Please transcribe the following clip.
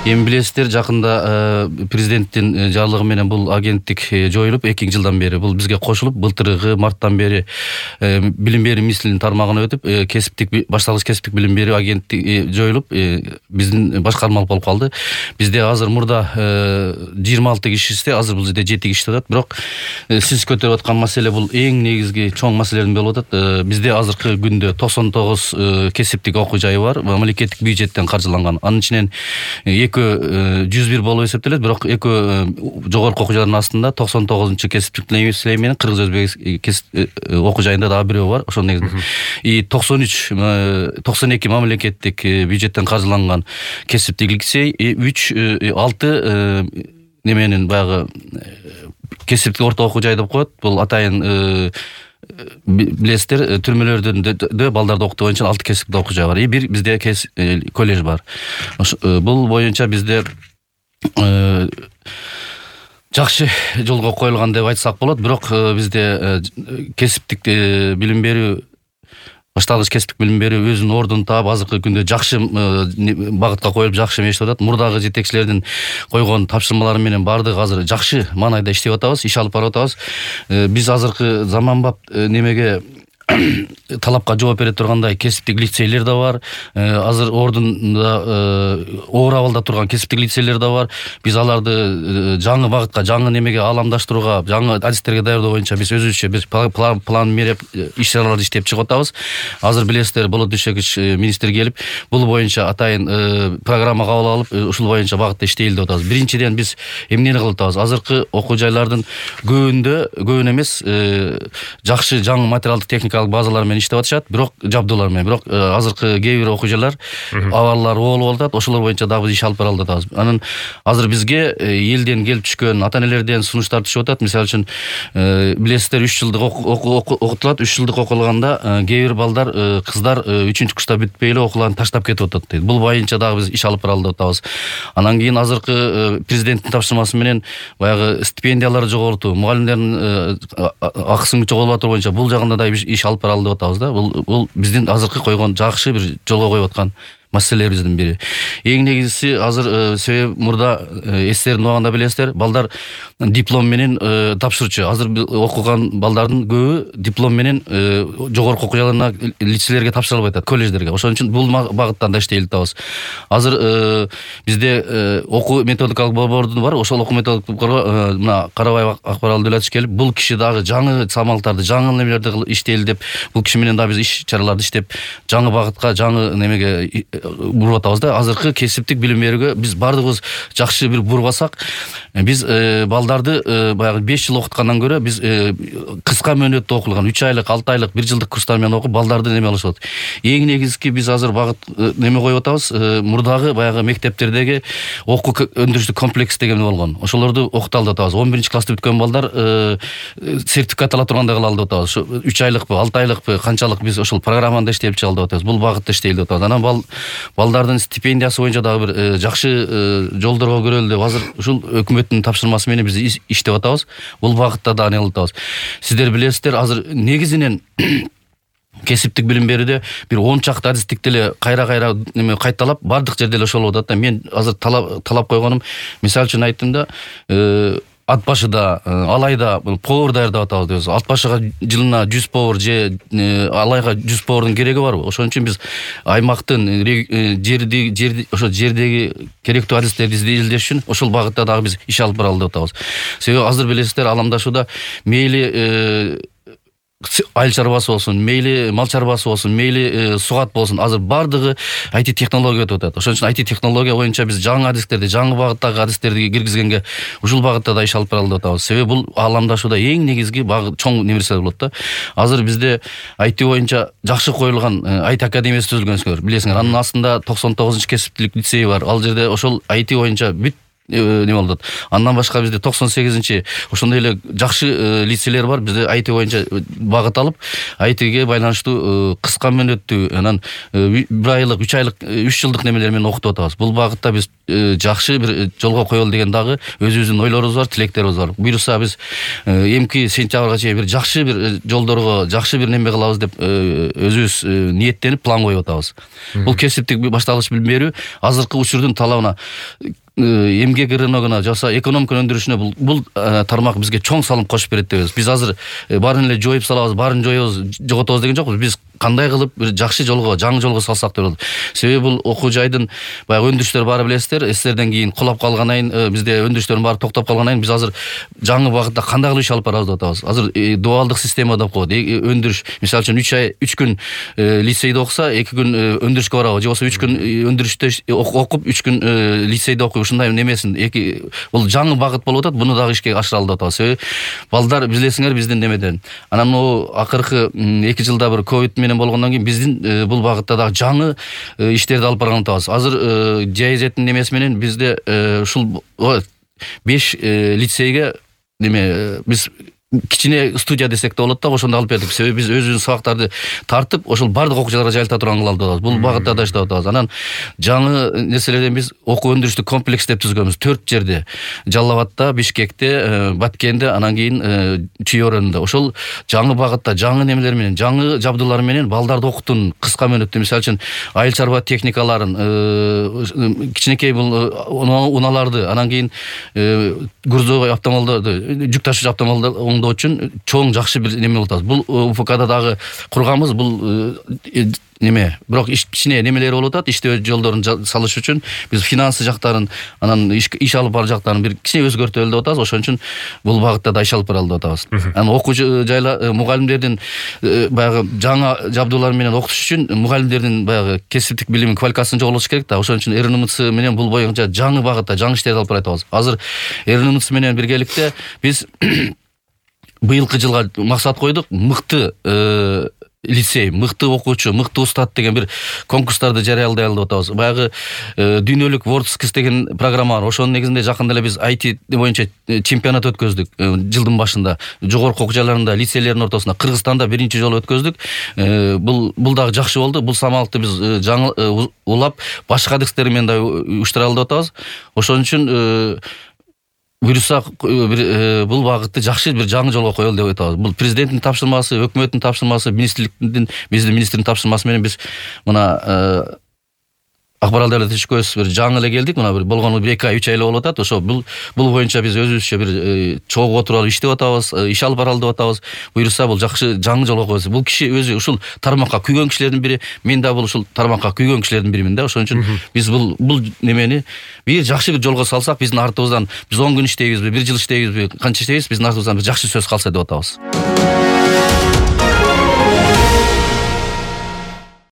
Эми билесиздер, жакында президенттин жарлыгы менен бул агенттик жоюлуп 2 жылдан бери бул бизге кошулуп, былтыркы марттан бери билим берүү министрлигинин тармагына өтүп, башталгыч кесиптик билим берүү агенттиги жоюлуп, биздин башкармалык болуп калды. Бизде азыр мурда 26 кишисте, азыр бул жерде 7 киши жатат. Бирок сиз көтөрүп аткан маселе бул эң негизги чоң маселелердин болуп атат. Бизде азыркы күндө 99 кесиптик окуу жайы бар, мамлекеттик бюджеттен каржыланган. Анын ичинен 101 болуп эсептелет, бирок жогорку окуу жайлардын астында 99 кесиптик лицей менен Кыргыз Өзбек окуу жайында дагы бирөө бар. Ошол негизинде 92 мамлекеттик бюджеттен каржыланган кесиптик лицей, 6 неменин баягы кесиптик орто окуу жай деп коет. Бул атайын билесиздер, түрмөлөрдө балдарды окутуу боюнча 6 кесиптик окуу жай бар. Бир бизде колледж бар. Бул боюнча бизде жакшы жолго коюлган деп айтсак болот. Бирок бизде кесиптик билим берүү, башталгыч кесиптик билим берүү өзүнүн ордун таап, азыркы күндө жакшы багытка коюлуп, жакшы мешип атат. Мурдагы жетекчилердин койгон тапшырмалары менен баардыгы азыр жакшы маанайда иштеп атабыз, иш алып барып атабыз. Биз азыркы заманбап немеге талапка жооп бере тургандай кесиптик лицейлер да бар. Азыр ордунда оор абалда турган кесиптик лицейлер да бар. Биз аларды жаңы багытка, жаңы немеге ааламдаштырууга, жаңы адистерге даярдоо боюнча биз өзүбүзчө план мереп иш-чараларды иштеп чыгып атабыз. Азыр билесиздер, Болот Дүшекич министр келип, бул боюнча атайын программа кабыл алып, ушул боюнча багытта иштейли деп атабыз. Биринчиден биз эмнени кылып атабыз? Азыркы окуу жайлардын көбүн эмес, жакшы жаңы материалдык техникалык базалар менен иштеп атышат, бирок жабдуулар менен. Бирок азыркы кээ бир окуу жайлар абаллары болуп атат. Ошолор боюнча дагы биз иш алып бара атабыз. Анан азыр бизге элден келип түшкөн, ата-энелерден сунуштар түшүп атат. Мисалы үчүн билесиздер, 3 жылдык окутулат. 3 жылдык окулганда кээ бир балдар, кыздар 3-курста бүтпөй эле окууларын таштап кетип атат дейт. Бул боюнча дагы биз иш алып баралы деп атабыз. Анан кийин азыркы президенттин тапшырмасы менен баягы стипендияларды жогорутуу, мугалимдердин акысын жоготуу боюнча бул жагында да иш алып баралы деп атабыз да. Бул биздин азыркы койгон жакшы бир жолго коюп аткан маселелерибиздин бири. Эң негизгиси азыр себеби мурда эстерин убагында билесиздер, балдар диплом менен тапшырчу. Азыр окуган балдардын көбү диплом менен жогорку окуу жайларына, лицейлерге тапшыра албай атат, колледждерге. Ошон үчүн бул багыттан да иштейли атабыз. Азыр бизде окуу методикалык борборду бар. Ошол окуу методикалык борборго мына Карабаев Акбар Алдулатович келип, бул киши дагы жаңы самалдарды, жаңы немелерди иштейли деп, бул киши менен дагы биз иш-чараларды иштеп, жаңы багытка, жаңы немеге буруп атабыз да. Азыркы кесиптик билим берүүгө биз баардыгыбыз жакшы бир бурбасак, биз балдарды баягы 5 жыл окуткандан көрө биз кыска мөөнөттө окулган 3 айлык, 6 айлык, 1 жылдык курстар менен окуп балдарды неме алышат. Эң негизги биз азыр багыт неме коюп атабыз. Мурдагы баягы мектептердеги окуу өндүрүштүк комплекс деген болгон. Ошолорду окуталы деп атабыз. 11-классты бүткөн балдар сертификат ала тургандай кылалы деп атабыз. 3 айлыкпы, 6 айлыкпы, канчалык биз ошол программада иштеп чыгалы деп атабыз. Бул багытта иштейли деп атабыз. Анан балдардын стипендиясы боюнча дагы бир жакшы жолдорго көрөлү деп азыр ушул өкмөттүн тапшырмасы менен биз иштеп атабыз. Бул багытта да ане кылып атабыз. Сиздер билесиздер, азыр негизинен кесиптик билим берүүдө бир 10 чакты адистикти эле кайра неме кайталап, бардык жерде эле ошол болуп атат да. Мен азыр талап койгонум, мисалы үчүн айттым да, ат башыда, алайда повар даярдап атабыз дейбиз. Ат башыга жылына 100 повар же алайга 100 повардын кереги барбы? Ошон үчүн биз аймактын, ошо жердеги керектүү адистерди изилдеш үчүн ошол багытта дагы биз иш алып баралы деп атабыз. Себеби азыр билесиздер, аламдашууда мейли айыл чарбасы болсун, мейли мал чарбасы болсун, мейли сугат болсун, азыр бардыгы IT технология өтүп атат. Ошон үчүн IT технология боюнча биз жаңы адистерди, жаңы багыттагы адистерди киргизгенге ушул багытта да иш алып баралы деп атабыз. Себеби бул аламдашууда эң негизги чоң нерсе болот да. Азыр бизде IT боюнча жакшы коюлган IT академиясы түзүлгөнсүңөр, билесиңер. Анын астында 99 кесиптик лицей бар. Ал жерде ошол IT боюнча бүт неме болот. Андан башка бизде 98-чи ошондой эле жакшы лицейлер бар. Бизде IT боюнча багыт алып, ITге байланыштуу кыска мөөнөттүү, анан 1 айлык, 3 айлык, 3 жылдык немелер менен окутуп атабыз. Бул багытта биз жакшы бир жолго коелу деген дагы өзүбүздүн ойлорубуз бар, тилектерибиз бар. Буюрса биз эмки сентябрга чейин бир жакшы бир жолдорго, жакшы бир неме кылабыз деп өзүбүз ниеттенип план коюп атабыз. Бул кесиптик башталгыч билим берүү азыркы учурдун талабына эмгек рыногуна жаса экономика өндүрүшүнө бул тармак бизге чоң салым кошуп берет дебиз. Биз азыр баарын эле жоюп салабыз, баарын жоебуз, жоготобуз деген жокпуз. Биз кандай кылып бир жакшы жолго, жаңы жолго салсак деп болот. Себеби бул окуу жайдын баягы өндүрүштөр баары билесиздер, эстерден кийин кулап калгандан кийин бизде өндүрүштөрдүн баары токтоп калгандан кийин биз азыр жаңы багытта кандай кылып иш алып барабыз деп атабыз. Азыр дуалдык система деп коет. Өндүрүш, мисалы үчүн 3 күн лицейде окуса, 2 күн өндүрүшкө барабы, же болбосо 3 күн өндүрүштө окуп, 3 күн лицейде окуп, ушундай немесин бул жаңы багыт болуп атат. Буну дагы ишке ашыралы деп атабыз. Себеби балдар билесиңер биздин немеден. Анан могу акыркы 2 жылда бир ковид менен болгондон кийин биздин бул багытта дагы жаңы иштерди алып барган атабыз. Азыр ЖЭЗдин немеси менен бизде ушул 5 лицейге неме биз кичине студия десек да болот да, ошондо алып бердик. Себеби биз өзүбүздүн сабактарды тартып, ошол бардык окуучуларга жайылта турган кылалы деп атабыз. Бул багытта да иштеп атабыз. Анан жаңы нерселерден биз окуу өндүрүштүк комплекс деп түзгөнбүз. 4 жерде: Жалал Абадта, Бишкекте, Баткенде, анан кийин Чүй-Өрөндө. Ошол жаңы багытта, жаңы немелер менен, жаңы жабдуулар менен балдарды окутуун кыска мөөнөттө, мисалы үчүн айыл чарба техникаларын, кичинекей бул унааларды, анан кийин грузовой автомобилдерди, жүк ташуучу автомобилдерди үчүн чоң жакшы бир неме болот. Бул УФКда дагы курганбыз. Бул неме, бирок кичине немелери болуп атат. Иштөө жолдорун салыш үчүн биз финансы жактарын, анан иш алып бар жактарын бир кичине өзгөртөлү деп атабыз. Ошон үчүн бул багытта да иш алып баралы деп атабыз. Анан окуучу жайлар, мугалимдердин баягы жаңа жабдуулар менен окутуш үчүн мугалимдердин баягы кесиптик билими, квалификациясын жоготуш керек да. Ошон үчүн РНМЦ менен бул боюнча жаңы багытта, жаңы иштерди алып баратабыз. Азыр РНМЦ менен биргеликте биз быйылкы жылга максат койдук: мыкты лицей, мыкты окуучу, мыкты устат деген бир конкурстарды жарыялай алып атабыз. Баягы дүйнөлүк WorldSkills деген программа бар. Ошонун негизинде жакында эле биз IT боюнча чемпионат өткөздүк жылдын башында. Жогорку окуу жайларында, лицейлердин ортосунда Кыргызстанда биринчи жолу өткөздүк. Бул дагы жакшы болду. Бул самалыкты биз жаңы улап башка декстер менен да уюштуралы деп атабыз. Ошон үчүн буюрса бул багытты жакшы бир жаңы жолго коелу деп атабыз. Бул президенттин тапшырмасы, өкмөттүн тапшырмасы, министрликтин, биздин министрдин тапшырмасы менен биз мына Акбарал Давлет Ишкөз бир жаңы эле келдик. Мына бир болгону 2 ай, 3 ай эле болуп атат. Ошо бул боюнча биз өзүбүзчө бир чогуу отуруп иштеп атабыз, иш алып баралы деп атабыз. Буюрса бул жакшы жаңы жолго койсо, бул киши өзү ушул тармакка күйгөн кишилердин бири, мен да бул ушул тармакка күйгөн кишилердин биримин да. Ошон үчүн биз бул немени бир жакшы бир жолго салсак, биздин артыбыздан биз 10 күн иштейбизби, 1 жыл иштейбизби, канча иштейбиз, биздин артыбыздан бир жакшы сөз калса деп атабыз.